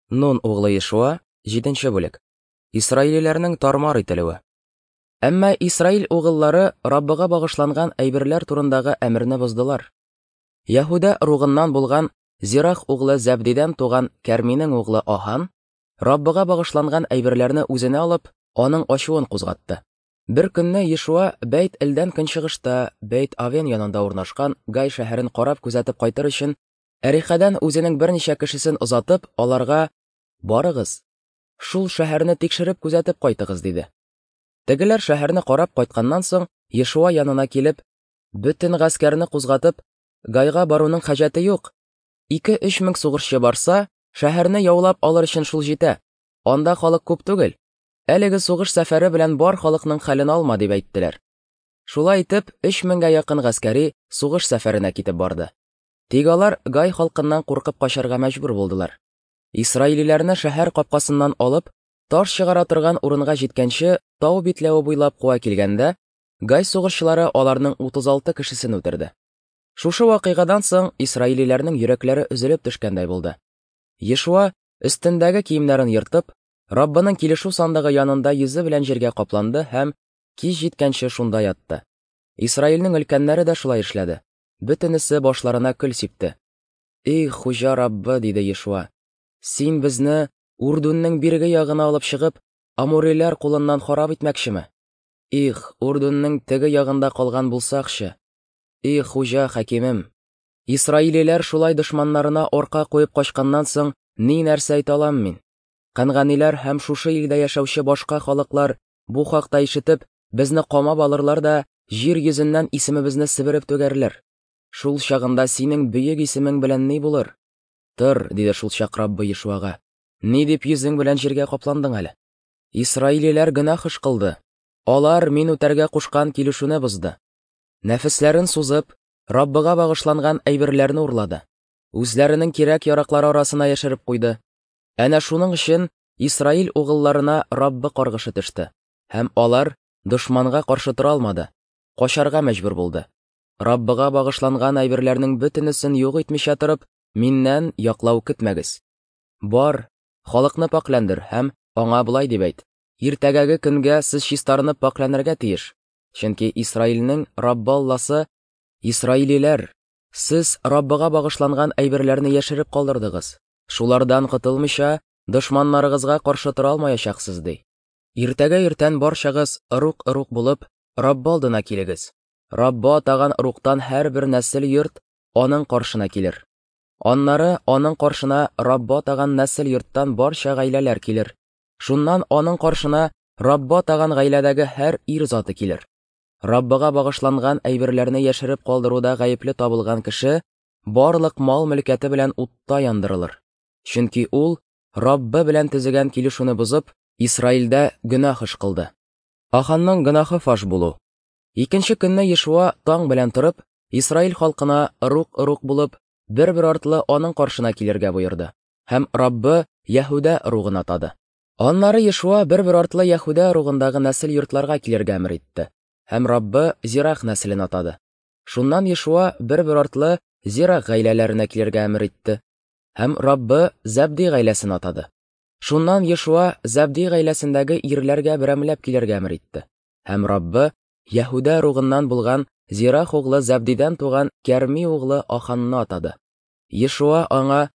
Нун углы Ешуа, 7 бүлек. Исраилиләрнең тармар ителүе. Әмма Исраил угыллары Раббыга багышланган әйберләр турындагы әмерне боздылар. Яһүдә ыругыннан булган Зирах углы Зәбдидән туган Кәрминең углы Аһан Раббыга багышланган әйберләрне үзенә алып, аның ачуын кузгатты. Бер көнне Ешуа Бәйт-Элдән көнчыгышта, Бәйт-Авен янында урнашкан Гай шәһәрен карап күзәтеп кайтыр өчен Әрихәдән үзенең берничә кешесен озатып, аларга: "Барыгыз, шул шәһәрне тикшереп күзәтеп кайтыгыз", диде. Тегеләр шәһәрне карап кайтканнан соң, Ешуа янына килеп, бөтен гаскәрне кузгатып, Гайга баруның хаҗәте юк. 2-3 мең сугышчы барса, шәһәрне яулап алыр өчен шул җитә. Анда халык күп түгел. Әлеге сугыш сәфәре белән бар халыкның хәлен алма, дип әйттеләр. Шулай итеп, 3 меңгә якын гаскәри сугыш сәфәренә китеп барды. Тик алар Гай халкыннан куркып качарга мәҗбүр булдылар. Исраилиләрне шәһәр капкасыннан алып, таш чыгара торган урынга җиткәнче, тау битләве буйлап куа килгәндә, Гай сугышчылары аларның 36 кешесен үтерде. Шушы вакыйгадан соң исраилиләрнең йөрәкләре өзелеп төшкәндәй булды. Ешуа, өстендәге киемнәрен ертып, Раббының килешү сандыгы янында йөзе белән җиргә капланды һәм кич җиткәнче шунда ятты. Исраилнең өлкәннәре дә шулай эшләде. Бөтенесе башларына көл сипте. Эй, Хуҗа Раббы, диде Ешуа, син безне Урдунның бирге ягына алып чыгып, амуриләр кулыннан харап итмәкчеме? Их, Урдунның теге ягында калган булсакчы! Эй, Хуҗа хакимем! Исраилиләр шулай дошманнарына арка куеп качканнан соң, ни нәрсә әйтә алам мин? Канганиләр һәм шушы илдә яшәүче башка халыклар бу хакта ишетеп, безне камап алырлар да җир йөзеннән исемебезне себереп түгәрләр. Шул чагында синең бөек исемең белән ни булыр? Тор, диде шул чак Раббы Ешуага. Ни дип йөзең белән җиргә капландың әле? Исраилиләр гөнаһ эш кылды. Алар мин үтәргә кушкан килешүне бозды. Нәфесләрен сузып, Раббыга багышланган әйберләрне урлады. Үзләренең кирәк-яраклары арасына яшереп куйды. Әнә шуның өчен Исраил угылларына Раббы каргышы төште, һәм алар дошманга каршы тора алмады, качарга мәҗбүр булды. Раббыга багышланган әйберләрнең бөтенесен юк итмичә торып, миннән яклау көтмәгез. Бар, халыкны пакьләндер һәм аңа болай дип әйт: Иртәгәге көнгә сез чистарынып пакьләнергә тиеш, чөнки Исраилнең Раббы Алласы, Исраилиләр, сез Раббыга багышланган әйберләрне яшереп калдырдыгыз. Шулардан котылмыйча, дошманнарыгызга каршы тора алмаячаксыз, ди. Иртәгә иртән барчагыз ыруг-ыруг булып Раббы алдына килегез. Раббы атаган ыругтан һәрбер нәсел йорт аның каршына килер. Аннары аның каршына Раббы атаган нәсел йорттан барча гаиләләр килер. Шуннан аның каршына Раббы атаган гаиләдәге һәр ир заты килер. Раббыга багышланган әйберләрне яшереп калдыруда гаепле табылган кеше барлык мал-мөлкәте белән утта яндырылыр. Чөнки ул Раббы белән төзегән килешүне бозып, Исраилдә гөнаһ эш кылды. Аханның гөнаһы фаш булу. Икенче көнне Ешуа таң белән торып, Исраил халкына ыруг-ыруг булып, бер-бер артлы аның каршына килергә боерды. Һәм Раббы Яһүдә ыругын атады. Аннары Ешуа бер-бер артлы Яһүдә ыругындагы нәсел йортларга килергә әмер итте. Һәм Раббы Зирах нәселен атады. Шуннан Ешуа бер-бер артлы Зирах гаиләләренә килергә әмер итте. Һәм Раббы Зәбди гаиләсен атады. Шуннан Ешуа Зәбди гаиләсендәге ирләргә берәмләп килергә әмер итте. Һәм Раббы Яһүдә ыругыннан булган Зирах углы Зәбдидән туган Кәрми углы Аханны атады. Ешуа аңа: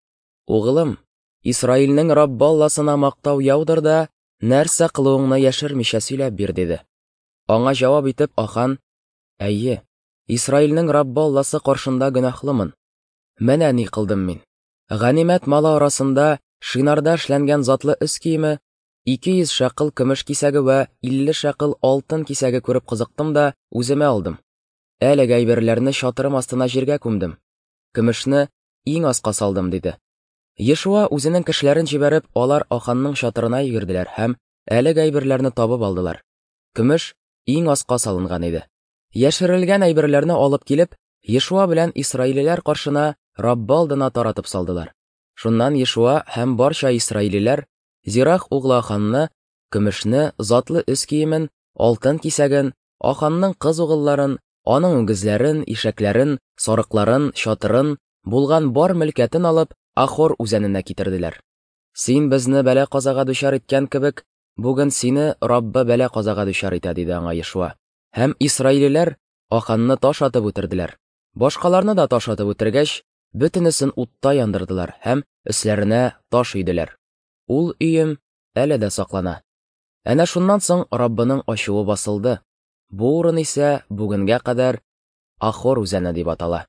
"Углым, Исраилнең Раббы Алласына мактау яудыр да, нәрсә кылуыңны яшермичә сөйләп бир", диде. Аңа җавап итеп Ахан: "Әйе, Исраилнең Раббы Алласы каршында гөнаһлымын. Менә ни кылдым мин. Ганимәт малы арасында Шинарда эшләнгән затлы өс киеме, 200 шәкыл көмеш кисәге вә 50 шәкыл алтын кисәге күреп кызыктым да үземә алдым. Әлеге әйберләрне чатырым астына җиргә күмдем. Көмешне иң аска салдым, диде. Ешуа үзенең кешеләрен җибәреп, алар Аханның чатырына йөгерделәр һәм әлеге әйберләрне табып алдылар. Көмеш иң аска салынган иде. Яшерелгән әйберләрне алып килеп, Ешуа белән исраилиләр каршына Раббы алдына таратып салдылар. Шуннан Ешуа һәм барча исраилиләр Зирах углы Аханны, көмешне, затлы өс киемен, алтын кисәген, Аханның кыз угылларын, аның үгезләрен, ишәкләрен, сарыкларын, чатырын, булган бар мөлкәтен алып, Ахор үзәненә китерделәр. Син безне бәла-казага дучар иткән кебек, бүген сине Раббы бәла-казага дучар итә, диде аңа Ешуа. Һәм исраилиләр Аханны таш атып үтерделәр. Башкаларны да таш атып үтергәч, бөтенесен утта яндырдылар һәм өсләренә таш өйделәр. Ул өем әле дә саклана. Әнә шуннан соң Раббының ачуы басылды. Бу урын исә бүгенгә кадәр Ахор үзәне дип атала.